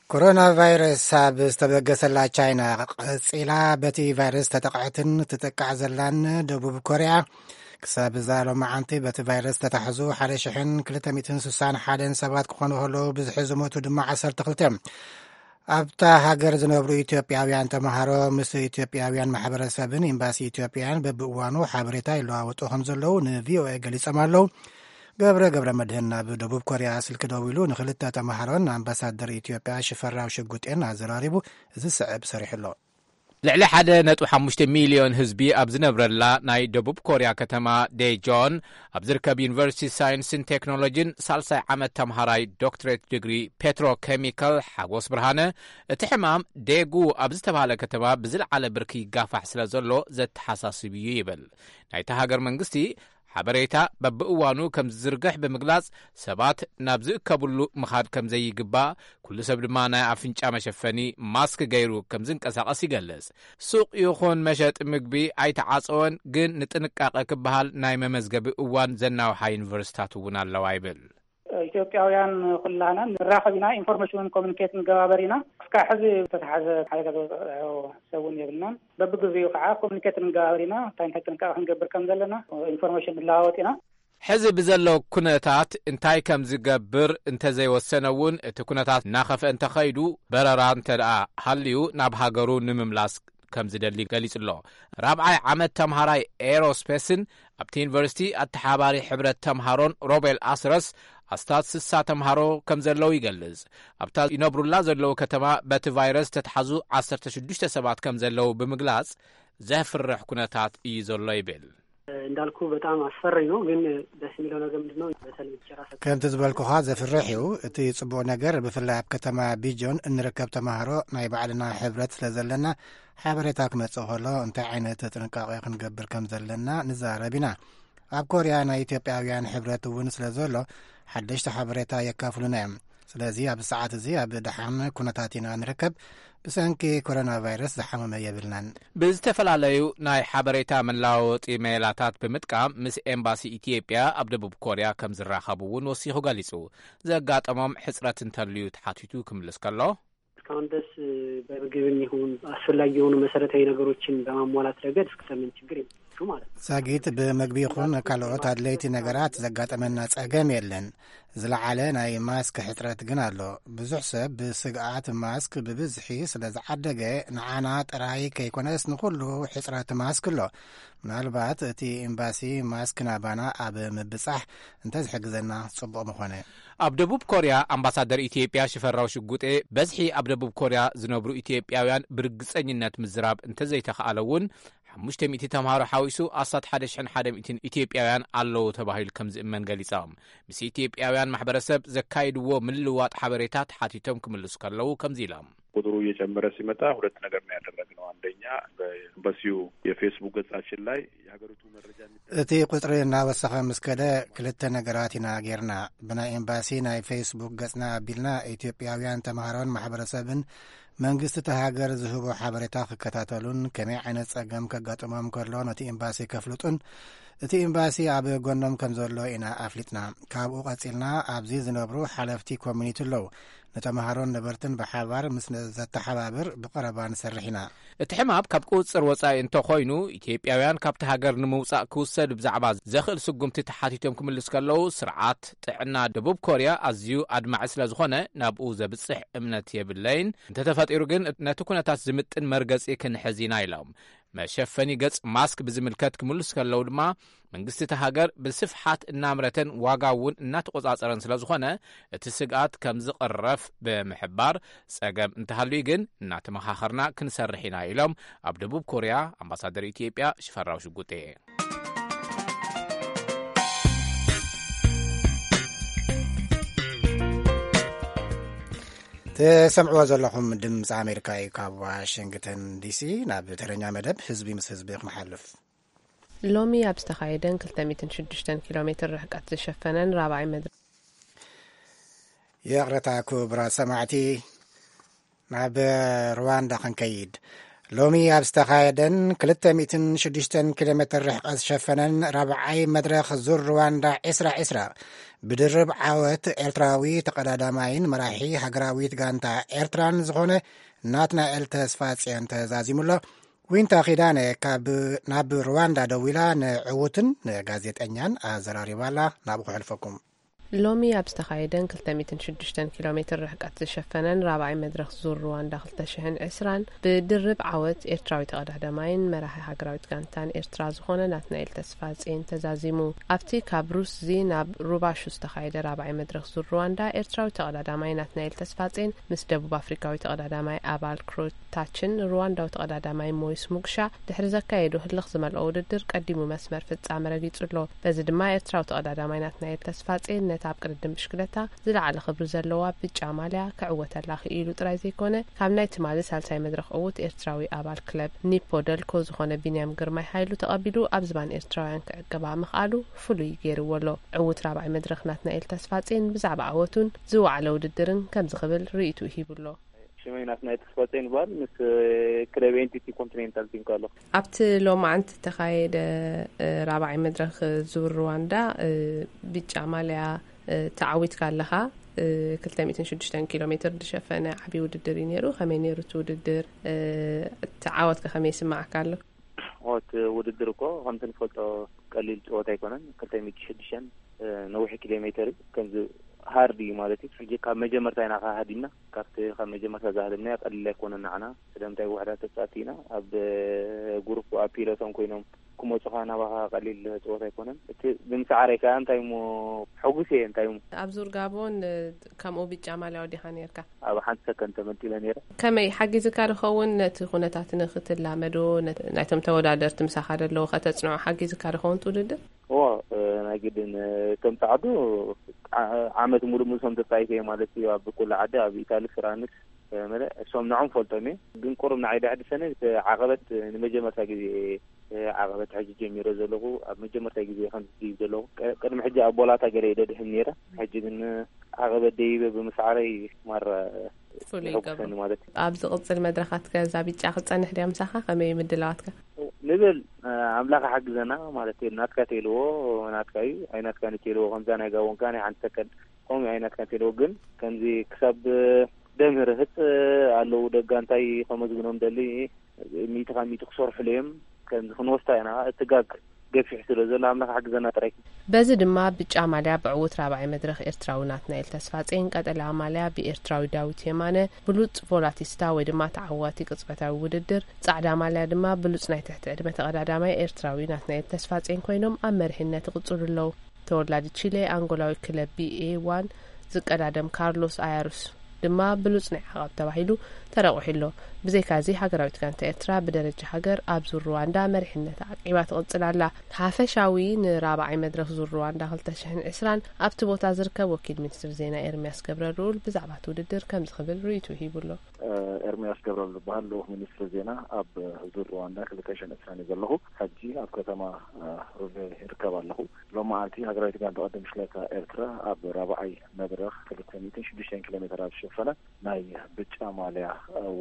ኮሮና ቫይረስ ኣብ ዝተበገሰላ ቻይና ቀጺላ በቲ ቫይረስ ተጠቕዐትን ትጥቃዕ ዘላን ደቡብ ኮርያ፣ ክሳብ እዛ ሎማዓንቲ በቲ ቫይረስ ዝተታሕዙ ሓደ ሽሕን ክልተ ሚእትን ስሳን ሓደን ሰባት ክኾኑ ከለዉ፣ ብዝሒ ዝሞቱ ድማ ዓሰርተ ክልተ እዮም። ኣብታ ሃገር ዝነብሩ ኢትዮጵያውያን ተምሃሮ ምስ ኢትዮጵያውያን ማሕበረሰብን ኤምባሲ ኢትዮጵያን በብእዋኑ ሓበሬታ ይለዋወጡ ከም ዘለዉ ንቪኦኤ ገሊጾም ኣለዉ። ገብረ ገብረ መድህን ናብ ደቡብ ኮርያ ስልኪ ደዊሉ ንክልተ ተምሃሮን ኣምባሳደር ኢትዮጵያ ሽፈራው ሽጉጤን ኣዘራሪቡ፣ እዚ ዝስዕብ ሰሪሑ ኣሎ። ልዕሊ ሓደ ነጥቢ ሓሙሽተ ሚልዮን ህዝቢ ኣብ ዝነብረላ ናይ ደቡብ ኮርያ ከተማ ዴጆን ኣብ ዝርከብ ዩኒቨርሲቲ ሳይንስን ቴክኖሎጂን ሳልሳይ ዓመት ተምሃራይ ዶክትሬት ዲግሪ ፔትሮ ኬሚካል ሓጎስ ብርሃነ፣ እቲ ሕማም ዴጉ ኣብ ዝተባህለ ከተማ ብዝለዓለ ብርኪ ይጋፋሕ ስለ ዘሎ ዘተሓሳስብ እዩ ይብል። ናይታ ሃገር መንግስቲ ሓበሬታ በብእዋኑ ከም ዝዝርግሕ ብምግላጽ፣ ሰባት ናብ ዝእከብሉ ምኻድ ከም ዘይግባእ፣ ኩሉ ሰብ ድማ ናይ ኣፍንጫ መሸፈኒ ማስክ ገይሩ ከም ዝንቀሳቐስ ይገልጽ። ሱቕ ይኹን መሸጢ ምግቢ ኣይተዓጸወን፣ ግን ንጥንቃቐ ክበሃል ናይ መመዝገቢ እዋን ዘናውሓ ዩኒቨርሲታት እውን ኣለዋ ይብል። ኢትዮጵያውያን ኩላህና ንራኸብ ኢና፣ ኢንፎርሜሽን ኮሚኒኬት ንገባበር ኢና። እስካብ ሕዚ ዝተተሓዘ ሓደጋ ዝበፅሖ ሰብ እውን የብልናን። በብግዜኡ ከዓ ኮሚኒኬት ንገባበር ኢና፣ እንታይ እንታይ ጥንቃቄ ክንገብር ከም ዘለና ኢንፎርሜሽን ንለዋወጥ ኢና። ሕዚ ብዘሎ ኩነታት እንታይ ከም ዝገብር እንተዘይወሰነ እውን፣ እቲ ኩነታት እናኸፍአ እንተኸይዱ፣ በረራ እንተ ደኣ ሃልዩ ናብ ሃገሩ ንምምላስ ከም ዝደሊ ገሊጹ ኣሎ። ራብዓይ ዓመት ተምሃራይ ኤሮስፔስን ኣብቲ ዩኒቨርሲቲ ኣተሓባሪ ሕብረት ተምሃሮን ሮቤል ኣስረስ፣ ኣስታት ስሳ ተምሃሮ ከም ዘለዉ ይገልጽ። ኣብታ ይነብሩላ ዘለዉ ከተማ በቲ ቫይረስ ተተሓዙ ዓሰርተ ሽዱሽተ ሰባት ከም ዘለዉ ብምግላጽ፣ ዘፍርሕ ኩነታት እዩ ዘሎ ይብል። እንዳልኩ በጣም አስፈሪ ነው፣ ግን ደስ የሚለው ነገር ምንድነው? በተለይ ጭራ ሰ- ከምቲ ዝበልኩኻ ዘፍርሕ እዩ። እቲ ጽቡቕ ነገር፣ ብፍላይ ኣብ ከተማ ቢጆን እንርከብ ተማሃሮ ናይ ባዕልና ሕብረት ስለ ዘለና፣ ሓበሬታ ክመጽእ ከሎ እንታይ ዓይነት ጥንቃቄ ክንገብር ከም ዘለና ንዛረብ ኢና። ኣብ ኮርያ ናይ ኢትዮጵያውያን ሕብረት እውን ስለ ዘሎ፣ ሓደሽቲ ሓበሬታ የካፍሉና እዮም። ስለዚ ኣብዚ ሰዓት እዚ ኣብ ደሓን ኩነታት ኢና ንርከብ። ብሰንኪ ኮሮና ቫይረስ ዝሓመመ የብልናን። ብዝተፈላለዩ ናይ ሓበሬታ መለዋወጢ ሜላታት ብምጥቃም ምስ ኤምባሲ ኢትዮጵያ ኣብ ደቡብ ኮርያ ከም ዝራኸቡ እውን ወሲኹ ገሊጹ። ዘጋጠሞም ሕጽረት እንተልዩ ተሓቲቱ ክምልስ ከሎ፣ እስካሁን ድረስ በምግብም ይሁን አስፈላጊ የሆኑ መሰረታዊ ነገሮችን በማሟላት ረገድ እስከምን ችግር የለም ማለት ነው። ዛጊት ብምግቢ ይኹን ካልኦት ኣድለይቲ ነገራት ዘጋጠመና ጸገም የለን። ዝለዓለ ናይ ማስክ ሕጽረት ግን ኣሎ። ብዙሕ ሰብ ብስግኣት ማስክ ብብዝሒ ስለ ዝዓደገ፣ ንዓና ጥራይ ከይኮነስ ንኹሉ ሕጽረት ማስክ ኣሎ። ምናልባት እቲ ኤምባሲ ማስክ ናባና ኣብ ምብጻሕ እንተዝሕግዘና ጽቡቕ ምኾነ። ኣብ ደቡብ ኮርያ ኣምባሳደር ኢትዮጵያ ሽፈራው ሽጉጤ፣ በዝሒ ኣብ ደቡብ ኮርያ ዝነብሩ ኢትዮጵያውያን ብርግጸኝነት ምዝራብ እንተዘይተኻእለ እውን፣ ሓሙሽተ ሚእቲ ተምሃሮ ሓዊሱ ኣስታት ሓደ ሽሕን ሓደ ሚእትን ኢትዮጵያውያን ኣለዉ ተባሂሉ ከም ዝእመን ገሊጾም። ምስ ኢትዮጵያውያን ማሕበረሰብ ዘካይድዎ ምልውዋጥ ሓበሬታ ተሓቲቶም ክምልሱ ከለዉ ከምዚ ኢሎም። ቁጥሩ እየጨመረ ሲመጣ ሁለት ነገር ነው ያደረግነው። አንደኛ በኤምባሲው የፌስቡክ ገጻችን ላይ የሀገሪቱ መረጃ የሚጠ- እቲ ቁጽሪ እናወሰኸ ምስ ከደ ክልተ ነገራት ኢና ጌርና። ብናይ ኤምባሲ ናይ ፌስቡክ ገጽና ኣቢልና ኢትዮጵያውያን ተምሃሮን ማሕበረሰብን መንግስቲ እቲ ሃገር ዝህቦ ሓበሬታ ክከታተሉን ከመይ ዓይነት ጸገም ከጋጥሞም ከሎ ነቲ ኤምባሲ ከፍልጡን እቲ ኤምባሲ ኣብ ጎኖም ከም ዘሎ ኢና ኣፍሊጥና። ካብኡ ቀጺልና ኣብዚ ዝነብሩ ሓለፍቲ ኮሚኒቲ ኣለዉ። ንተምሃሮን ነበርትን ብሓባር ምስ ዘተሓባብር ብቐረባ ንሰርሕ ኢና። እቲ ሕማም ካብ ቁጽር ወጻኢ እንተኾይኑ፣ ኢትዮጵያውያን ካብቲ ሃገር ንምውጻእ ክውሰድ ብዛዕባ ዘኽእል ስጉምቲ ተሓቲቶም ክምልስ ከለዉ፣ ስርዓት ጥዕና ደቡብ ኮርያ ኣዝዩ ኣድማዒ ስለ ዝኾነ ናብኡ ዘብጽሕ እምነት የብለይን። እንተተፈጢሩ ግን ነቲ ኩነታት ዝምጥን መርገጺ ክንሕዝ ኢና ኢሎም። መሸፈኒ ገጽ ማስክ ብዝምልከት ክምልሱ ከለዉ ድማ፣ መንግስቲ እቲ ሃገር ብስፍሓት እናምረተን ዋጋ እውን እናተቆጻጸረን ስለ ዝኾነ፣ እቲ ስግኣት ከም ዝቕረፍ ብምሕባር፣ ጸገም እንተሃልዩ ግን እናተመኻኸርና ክንሰርሕ ኢና ኢሎም ኣብ ደቡብ ኮርያ ኣምባሳደር ኢትዮጵያ ሽፈራው ሽጉጤ። ትሰምዕዎ ዘለኹም ድምፂ ኣሜሪካ እዩ። ካብ ዋሽንግተን ዲሲ ናብ ተረኛ መደብ ህዝቢ ምስ ህዝቢ ክንሓልፍ። ሎሚ ኣብ ዝተኻየደን ክልተ ሚእትን ሽዱሽተን ኪሎ ሜትር ርሕቀት ዝሸፈነን ራብዓይ መድረኽ። ይቕረታ ክቡራት ሰማዕቲ፣ ናብ ሩዋንዳ ክንከይድ። ሎሚ ኣብ ዝተኻየደን ክልተ ሚእትን ሽዱሽተን ኪሎ ሜትር ርሕቀት ዝሸፈነን ራብዓይ መድረኽ ዙር ሩዋንዳ ዕስራ ዕስራ፣ ብድርብ ዓወት ኤርትራዊ ተቐዳዳማይን መራሒ ሃገራዊት ጋንታ ኤርትራን ዝኾነ ናትናኤል ተስፋጽዮን ተዛዚሙ ኣሎ። ዊንታ ኪዳነ ካብ፣ ናብ ሩዋንዳ ደዊላ ንዕዉትን ንጋዜጠኛን ኣዘራሪባ ኣላ። ናብኡ ክሕልፈኩም። ሎሚ ኣብ ዝተኻየደን ክልተ ሚእትን ሽዱሽተን ኪሎ ሜትር ርሕቀት ዝሸፈነን ራብዓይ መድረኽ ዙር ሩዋንዳ ክልተ ሽሕን ዕስራን ብድርብ ዓወት ኤርትራዊ ተቐዳዳማይን መራሒ ሃገራዊት ጋንታን ኤርትራ ዝኾነ ናትናኤል ተስፋጼን ተዛዚሙ። ኣብቲ ካብ ሩስዚ ናብ ሩባሹ ዝተኻየደ ራብዓይ መድረኽ ዙር ሩዋንዳ ኤርትራዊ ተቐዳዳማይ ናትናኤል ተስፋጼን ምስ ደቡብ ኣፍሪካዊ ተቐዳዳማይ ኣባል ክሮታችን ሩዋንዳዊ ተቐዳዳማይ ሞይስ ሙግሻ ድሕሪ ዘካየዱ ህልኽ ዝመልኦ ውድድር ቀዲሙ መስመር ፍጻመ ረጊጹ ኣሎ። በዚ ድማ ኤርትራዊ ተቐዳዳማይ ናትናኤል ተስፋጼን ነታ ኣብ ቅድድም ብሽክለታ ዝለዓለ ክብሪ ዘለዋ ብጫ ማልያ ክዕወተላ ክኢሉ ጥራይ ዘይኮነ፣ ካብ ናይ ትማሊ ሳልሳይ መድረኽ ዕዉት ኤርትራዊ ኣባል ክለብ ኒፖ ደልኮ ዝኾነ ቢንያም ግርማይ ሃይሉ ተቐቢሉ ኣብ ዝባን ኤርትራውያን ክዕቅባ ምኽኣሉ ፍሉይ ገይርዎ ኣሎ። ዕዉት ራብዓይ መድረኽ ናትናኤል ተስፋጼን ብዛዕባ ዓወቱን ዝወዓለ ውድድርን ከምዚ ክብል ርእይትኡ ሂቡ ኣሎ። ሽመይ ናትናኤል ተስፋጼን ይበሃል። ምስ ክለብ ኤንቲቲ ኮንቲኔንታል ቲንኮ ኣለኹ። ኣብቲ ሎማዓንቲ እተኻየደ ራብዓይ መድረኽ ዙር ሩዋንዳ ብጫ ማልያ ተዓዊትካ ኣለኻ። ክልተ ሚእትን ሽዱሽተን ኪሎ ሜትር ዝሸፈነ ዓብዪ ውድድር እዩ ነይሩ። ከመይ ነይሩ እቲ ውድድር? እቲ ዓወትከ ከመይ ይስምዓካ ኣሎ? እቲ ውድድር እኮ ከምቲ ንፈልጦ ቀሊል ፀወታ ኣይኮነን። ክልተ ሚእቲ ሽዱሽተን ነዊሕ ኪሎ ሜትር እዩ። ከምዚ ሃርድ እዩ ማለት እዩ። ሕጂ ካብ መጀመርታ ኢና ከሃዲምና። ካብቲ ካብ መጀመርታ ዝሃደምናዮ ቀሊል ኣይኮነን ንዓና። ስለምንታይ ውሕዳት ተፃወትቲ ኢና። ኣብ ጉሩፕ ኣብ ፒለቶን ኮይኖም ክመፁኻ ናባኻ ቀሊል ፀወታ ኣይኮነን። እቲ ብምስዓረይ ከዓ እንታይ እሞ ሕጉስ እየ። እንታይ እሞ ኣብ ዙር ጋቦን ከምኡ ብጫ ማልያ ወዲኻ ነርካ? ኣብ ሓንቲ ሰከንድ ተመንጢለ ነይረ። ከመይ ሓጊዝካ ድኸውን ነቲ ኩነታት ንክትላመዶ? ናይቶም ተወዳደርቲ ምሳኻ ደለዉ ከተጽንዖ ሓጊዝካ ድኸውን ውድድር? እዎ፣ ናይ ግድን። ከም ጻዕዱ ዓመት ሙሉእ ሙሉእ ከም ተጻይፈ ማለት እዩ። ኣብ ኩሉ ዓዲ ኣብ ኢታሊ ፍራንስ መለ እሶም ንዖም ፈልጦም እየ። ግን ቁሩብ ንዓይ ደሕድሰኒ ዓቐበት ንመጀመርታ ግዜ ዓቐበት ሕጂ ጀሚረ ዘለኹ። ኣብ መጀመርታ ግዜ ከም ዝድይብ ዘለኹ ቅድሚ ሕጂ ኣብ ቦላታ ገለ ይደድህን ነይረ። ሕጂ ግን ዓቐበት ደይበ ብምስዓረይ ማራ ፍሉይ ይገብሮ። ማለት እዩ። ኣብ ዝቕጽል መድረኻትከ እዛ ቢጫ ክትጸንሕ ድያ ምሳኻ? ከመይ ምድላዋትካ? ንብል ኣምላኽ ሓግዘና ማለት እዩ። ናትካ ተልዎ ናትካ እዩ፣ ኣይ ናትካ ንተልዎ ከምዛ ናይ ጋቦንካ ናይ ሓንቲ ሰከንድ ከምኡ ኣይ ናትካ ተልዎ ግን ከምዚ ክሳብ ደምህርህጽ ኣለዉ ደጋ እንታይ ከመዝግኖም ደሊ ሚእቲ ካብ ሚእቲ ክሰርሑሉ እዮም። ከምዚ ክንወስታ ኢና እቲ ጋግ ገፊሕ ስለ ዘሎ ኣምላኽ ሓግዘና ጥራይ። በዚ ድማ ብጫ ማልያ ብዕዉት ራብዓይ መድረኽ ኤርትራዊ ናትናኤል ተስፋጼን፣ ቀጠልያ ማልያ ብኤርትራዊ ዳዊት የማነ፣ ብሉጽ ቮላቲስታ ወይ ድማ ተዓዋቲ ቅጽበታዊ ውድድር፣ ጻዕዳ ማልያ ድማ ብሉጽ ናይ ትሕቲ ዕድመ ተቐዳዳማይ ኤርትራዊ ናትናኤል ተስፋጼን ኮይኖም ኣብ መሪሕነት ይቕጽሉ ኣለዉ። ተወላዲ ቺሌ ኣንጎላዊ ክለብ ቢኤ ዋን ዝቀዳደም ካርሎስ ኣያሩስ ድማ ብሉጽ ናይ ዓቐብ ተባሂሉ ተረቑሒ ኣሎ። ብዘይካዚ ሃገራዊት ጋንታ ኤርትራ ብደረጃ ሃገር ኣብ ዙር ሩዋንዳ መሪሕነታ ዓቂባ ትቕጽል ኣላ። ሓፈሻዊ ንራብዓይ መድረኽ ዙር ሩዋንዳ ክልተ ሽሕን ዕስራን ኣብቲ ቦታ ዝርከብ ወኪል ሚኒስትር ዜና ኤርምያስ ገብረልኡል ብዛዕባ እቲ ውድድር ከምዚ ክብል ርእይትኡ ሂቡ ኣሎ። ኤርምያስ ገብረልኡል ዝበሃል ልኡኽ ሚኒስትሪ ዜና ኣብ ዙር ሩዋንዳ ክልተ ሽሕን ዕስራን እየ ዘለኹ። ሕጂ ኣብ ከተማ ሩቬ ይርከብ ኣለኹ። ሎም መዓልቲ ሃገራዊት ጋንታ ቅድድም ብሽክለታ ኤርትራ ኣብ ራብዓይ መድረኽ ክልተ ሚእትን ሽዱሽተን ኪሎ ሜትር ኣብ ዝሸፈነ ናይ ብጫ ማልያ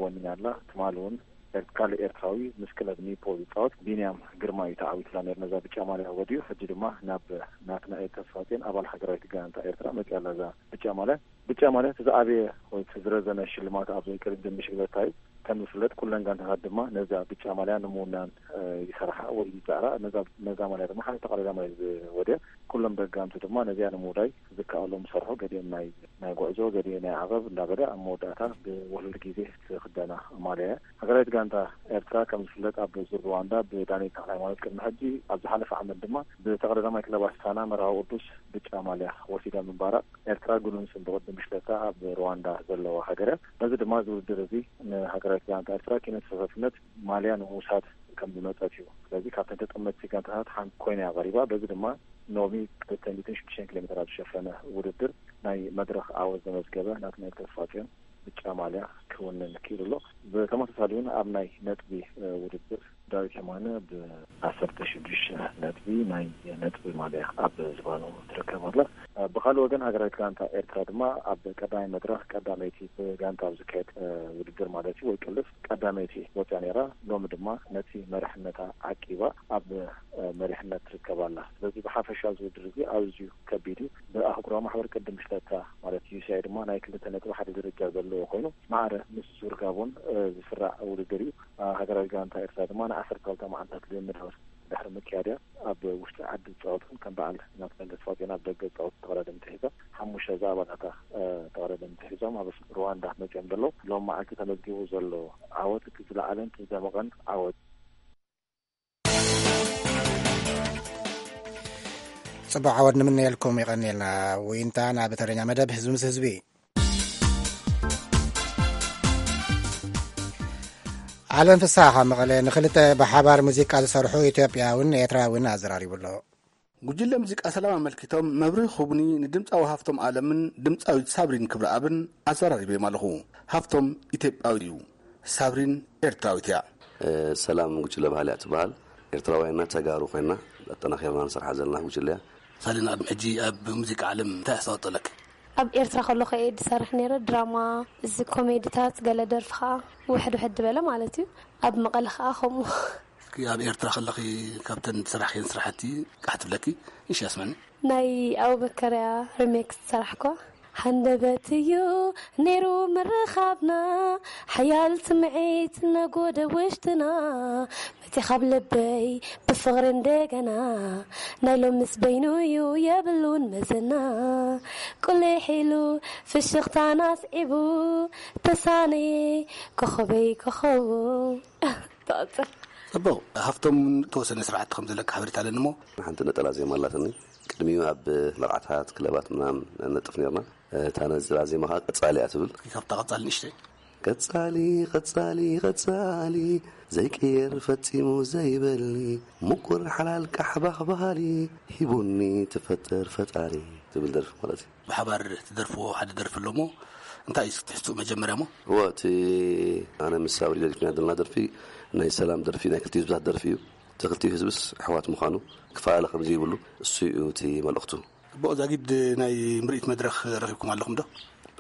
ወኒና ኣላ። ትማሊ እውን ኤር- ካልእ ኤርትራዊ ምስ ክለብ ኒፖ ዝፃወት ቢንያም ግርማ እዩ ተዓዊትላ ነይሩ። ነዛ ብጫ ማልያ ወዲኡ ሕጂ ድማ ናብ ናትናኤል ተስፋጼን ኣባል ሃገራዊት ጋንታ ኤርትራ መፅያ ኣላ እዛ ብጫ ማልያ። ብጫ ማልያ እቲ ዝዓበየ ወይ እቲ ዝረዘነ ሽልማት ኣብ ቅድድም ብሽክለታ እዩ። ከም ዝፍለጥ ኩለን ጋንታታት ድማ ነዛ ብጫ ማልያ ንምውናን ይሰርሓ ወይ ይፅዕራ። ነዛ ማልያ ድማ ሓንቲ ተቐዳዳማይ ዝወድያ ኩሎም ደጋምቲ ድማ ነዚኣ ንምውዳይ ዝከኣሎም ዝሰርሑ ገዲኦም ናይ ናይ ጉዕዞ ገዲኡ ናይ ዓቐብ እንዳበለ ኣብ መወዳእታ ብውህሉል ግዜ ዝኽደና ማልያ እያ። ሃገራዊት ጋንታ ኤርትራ ከም ዝፍለጥ ኣብ ዙር ሩዋንዳ ብዳንኤል ተኽለሃይማኖት ቅድሚ ሕጂ ኣብ ዝሓለፈ ዓመት ድማ ብተቐዳዳማይ ክለብ ኣስታና መርሃዊ ቅዱስ ብጫ ማልያ ወሲዳ ምንባራ ኤርትራ ግኑን ስም ብቕድም ብሽክለታ ኣብ ሩዋንዳ ዘለዋ ሃገር እያ። በዚ ድማ እዚ ውድድር እዚ ንሃገራዊት ጋንታ ኤርትራ ኪነት ተሳታፍነት ማልያ ንምውሳድ ከም ዝመጸት እዩ። ስለዚ ካብተን ተጠመትቲ ጋንታታት ሓንቲ ኮይና እያ ቀሪባ። በዚ ድማ ኖሚ ክልተ ሚእትን ሽዱሽተን ኪሎ ሜትር ኣብ ዝሸፈነ ውድድር ናይ መድረኽ ዓወት ዘመዝገበ ናትናኤል ተስፋጽዮን ብጫ ማልያ ክውንን ክኢሉ ኣሎ። ብተመሳሳሊ እውን ኣብ ናይ ነጥቢ ውድድር ዳዊት የማነ ብዓሰርተ ሽዱሽተ ነጥቢ ናይ ነጥቢ ማልያ ኣብ ዝባኑ ትርከብ ኣላ። ብኻልእ ወገን ሃገራዊት ጋንታ ኤርትራ ድማ ኣብ ቀዳማይ መድረኽ ቀዳመይቲ ብጋንታ ኣብ ዝካየድ ውድድር ማለት እዩ ወይ ቅልስ ቀዳመይቲ ወፅያ ነይራ። ሎሚ ድማ ነቲ መራሕነታ ዓቂባ ኣብ መሪሕነት ትርከብ ኣላ። ስለዚ ብሓፈሻ እዚ ውድድር እዚ ኣዝዩ ከቢድ እዩ። ብኣህጉራዊ ማሕበር ቅድም ብሽክለታ ማለት ዩሲኣይ ድማ ናይ ክልተ ነጥቢ ሓደ ደረጃ ዘለዎ ኮይኑ ማዕረ ምስ ዙር ጋቦን ዝስራዕ ውድድር እዩ። ሃገራዊት ጋንታ ኤርትራ ድማ ንዓሰርተ ክልተ መዓልታት ልምምድ ኣብ ድሕሪ ምክያድያ ኣብ ውሽጢ ዓዲ ዝፃወቱን ከም በዓል ናትናኤል ተስፋጽዮን ኣብ ደገ ዝፃወቱ ተቐዳደምቲ ሒዞም ሓሙሽተ ዝኣባላታ ተቐዳደምቲ ሒዞም ኣብ ሩዋንዳ መፅኦም ዘለዉ ሎም መዓልቲ ተመዝጊቡ ዘሎ ዓወት እቲ ዝለዓለን እቲ ዝደመቐን ዓወት። ጽቡቕ ዓወት ንምነየልኩም። ይቐንየልና። ውይንታ ናብ ተረኛ መደብ ህዝቢ ምስ ህዝቢ። ዓለም ፍስሓ ካብ መቐለ ንክልተ ብሓባር ሙዚቃ ዝሰርሑ ኢትዮጵያውን ኤርትራውን ኣዘራሪቡ ኣሎ። ጉጅለ ሙዚቃ ሰላም ኣመልኪቶም መብርሂ ክህቡኒ ንድምጻዊ ሃፍቶም ኣለምን ድምጻዊት ሳብሪን ክብረኣብን ኣዘራሪበዮም ኣለኹ። ሃፍቶም ኢትዮጵያዊ እዩ፣ ሳብሪን ኤርትራዊት እያ። ሰላም ጉጅለ ባህሊ እያ ትበሃል። ኤርትራውያንና ተጋሩ ኮይና ኣጠናኺርና ንሰርሓ ዘለና ጉጅለ እያ። ሳሊና፣ ቅድሚ ሕጂ ኣብ ሙዚቃ ዓለም እንታይ ኣስተዋፅኦ ኣለኪ? ኣብ ኤርትራ ከለኹ እየ ዝሰርሕ ነይረ፣ ድራማ፣ እዚ ኮሜዲታት፣ ገለ ደርፊ ከዓ ውሕድ ውሕድ ዝበለ ማለት እዩ። ኣብ መቐለ ከዓ ከምኡ። እስኪ ኣብ ኤርትራ ከለኺ ካብተን ዝሰራሕክየን ስራሕቲ ቃሕ ትብለኪ ንሽ ኣስመኒ። ናይ ኣቡበከርያ ሪሜክስ ዝሰራሕኳ። ሃንደበት እዩ ነይሩ ምርኻብና፣ ሓያል ስምዒት ነጎደ ውሽጥና። መፂኻ ኣብ ልበይ ብፍቕሪ እንደገና፣ ናይ ሎምስ በይኑ እዩ የብሉን መዘና። ቁሊሕ ኢሉ ፍሽኽታን ኣስዒቡ፣ ተሳነየ ኮኸበይ ኮኸቡ። ትቐፅል። ፅቡቕ። ሃፍቶም፣ ተወሰነ ስራሕቲ ከም ዘለካ ሓበሬታ ኣለኒ እሞ። ሓንቲ ነጠላ ዜማ ኣላትኒ። ቅድሚኡ ኣብ መርዓታት፣ ክለባት ምናምን ነጥፍ ነርና። እታ ነጠላ ዜማ ከዓ ቀጻሊ እያ ትብል። ካብታ ቀጻሊ ንእሽተይ። ቀጻሊ፣ ቀጻሊ፣ ቀጻሊ፣ ዘይቅየር ፈጺሙ ዘይበሊ፣ ምቁር ሓላል ቃሕባኽ ባህሊ፣ ሂቡኒ ትፈጥር ፈጣሪ ትብል ደርፊ ማለት እዩ። ብሓባር ትደርፍዎ ሓደ ደርፊ ኣሎ እሞ፣ እንታይ እዩ ትሕዝትኡ መጀመርያ እሞ? እዎ፣ እቲ ኣነ ምስ ሳብሪ ደሪፍና ዘለና ደርፊ ናይ ሰላም ደርፊ፣ ናይ ክልቲኡ ህዝብታት ደርፊ እዩ። እቲ ክልቲኡ ህዝብስ ኣሕዋት ምዃኑ፣ ክፈላለ ከም ዘይብሉ፣ እሱ እዩ እቲ መልእኽቱ። ኣቦ ዛጊድ፣ ናይ ምርኢት መድረኽ ረኺብኩም ኣለኹም ዶ?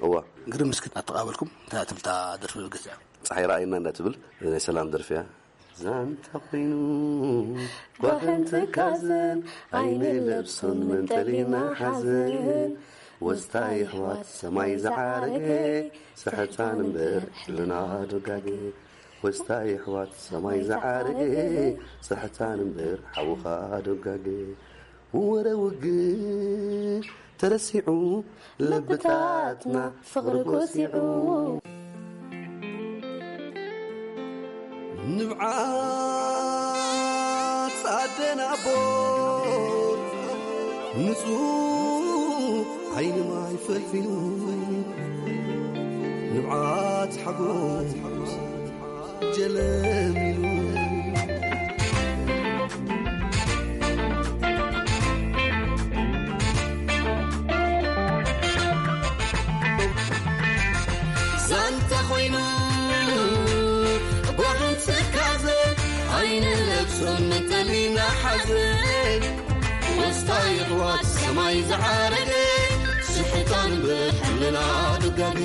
እዋ። ግርም፣ እስኪ ኣተቓበልኩም እንታይ ትብል እታ ደርፊ ብግዜኣ? ጸሓይ ረኣይና እንዳ ትብል ናይ ሰላም ደርፊ እያ። ዛንታ ኮይኑ ጓህን ትካዘን፣ ኣይንለብሶን መንጠሊና ሓዘን። ወስታ የሕዋት ሰማይ ዝዓረገ፣ ስሕታን እምበር ሕልና ዶጋገ። ወስታ የሕዋት ሰማይ ዝዓረገ፣ ስሕታን እምበር ሓውኻ ዶጋገ። ወረ ውግእ ተረሲዑ፣ ልብታትና ፍቕሪ ጎሲዑ። ንብዓት ኣደን ኣቦን፣ ንጹህ ዓይኒ ማይ ፈልፊሉ፣ ንብዓት ሓጎስ ጀለሚሉ። ዛንታ ኮይኑ ጓህን ትካዘ፣ ኣይንለብሶን መንጠሊና ሓዘን። ወስታ የሕዋት ሰማይ ዝዓረገ፣ ስሕታን እምበር ሕልና ዶጋገ።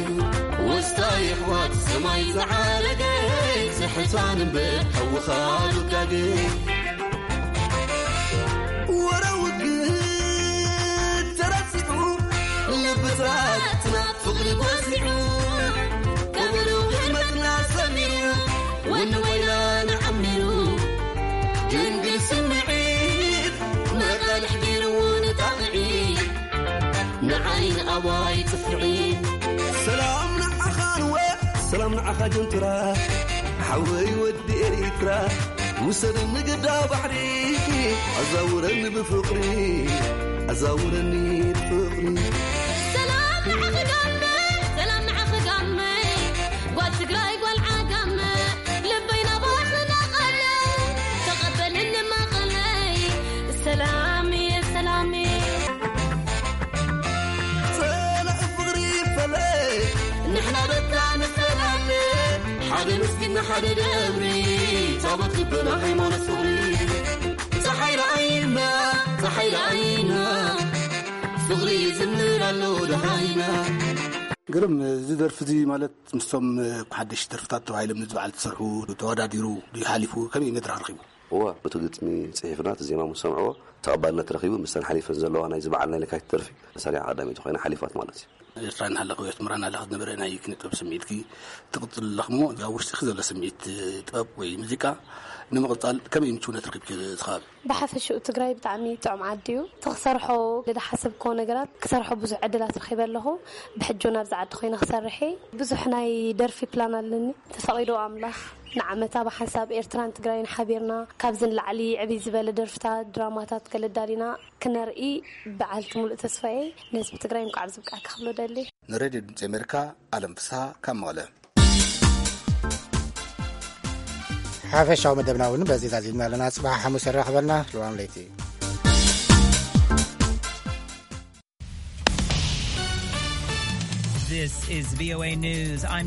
ወስታ የሕዋት ሰማይ ዝዓረገ፣ ስሕታን እምበር ሓውኻ ዶጋገ። ወረ ውግእ ተረሲዑ፣ ልብታትና ፍቕሪ ጎሲዑ፣ ቀብሩ ህልመትና ሰሚሩ፣ ወኒ ወይላና ዓሚሩ። ድንግል ስምዒት መቓልሕ ገይርዎ ንጣቕዒት፣ ንዓይ ንኣባይ ጽፍዒት። ሰላም ንዓኻ ንወ፣ ሰላም ንዓኻ ጀንትራ፣ ሓወይ ወዲ ኤሪትራ። ውሰድኒ ግዳ ባሕሪ፣ ኣዛውረኒ ብፍቕሪ፣ ኣዛውረኒ ብፍቕሪ። ሰላም ንዓኺ ጋመ፣ ሰላም ንዓኺ ጋመ፣ ጓል ትግራይ ጓል ዓጋመ፣ ልበይ ናባኺ ናቐለ፣ ተቐበልኒ መቐለይ፣ ሰላምየ ሰላምየ። ጸላኢ ፍቕሪ ፈለ፣ ንሕና ደቃ ንፈላለ፣ ሓደ መስጊድና ሓደ ደብሪ፣ ታቦት ልብና ሃይማኖት ፍቕሪ። ጸሓይ ረኣይና፣ ጸሓይ ረኣይና፣ ፍቕሪ ይዝምር ኣሎ ደሃይና። ግርም፣ እዚ ደርፊ እዚ ማለት ምስቶም ሓደሽ ደርፍታት ተባሂሎም ንዚ በዓል ዝሰርሑ ተወዳዲሩ ድዩ ሓሊፉ? ከመይ መድረኽ ረኺቡ? እዋ፣ እቲ ግጥሚ ጽሒፍና፣ እቲ ዜማ ምስ ሰምዕዎ፣ ተቐባልነት ረኺቡ፣ ምስተን ሓሊፈን ዘለዋ ናይዚ በዓል ናይ ለካቲት ደርፊ መሳርያ ቀዳመይቲ ኮይና ሓሊፋት ማለት እዩ። ኤርትራ እናሃለኹ፣ ኣስመራ እናሃለኹ ዝነበረ ናይ ኪነ ጥበብ ስምዒትኪ ትቕጽል ኣለኹ እሞ፣ ኣብ ውሽጥኺ ዘሎ ስምዒት ጥበብ ወይ ሙዚቃ ንምቕጻል ከመይ ምቹውነት ረኺብኪ እቲ ከባቢ? ብሓፈሽኡ ትግራይ ብጣዕሚ ጥዑም ዓዲ እዩ። እቲ ክሰርሖ ዝሓሰብክዎ ነገራት ክሰርሖ ብዙሕ ዕድላት ረኺበ ኣለኹ። ብሕጂ እውን ኣብዚ ዓዲ ኮይነ ክሰርሕ እየ። ብዙሕ ናይ ደርፊ ፕላን ኣለኒ። ተፈቒዶ ኣምላኽ ንዓመታ ብሓንሳብ ኤርትራን ትግራይን ሓቢርና ካብዚ ንላዕሊ ዕብይ ዝበለ ደርፍታት፣ ድራማታት ገለ ኣዳሊና ክነርኢ በዓልቲ ሙሉእ ተስፋ እየ። ንህዝቢ ትግራይ እንኳዕ ኣብዚ ብቃዕካ ክብሎ ደሊ። ንሬድዮ ድምፂ ኣሜሪካ፣ ኣለም ፍስሃ ካብ መቐለ። ሓፈሻዊ መደብና እውን በዚ ዛዚምና ኣለና። ጽባሕ ሓሙስ የራኽበና። ልዋም ለይቲ። This is V O A News. I'm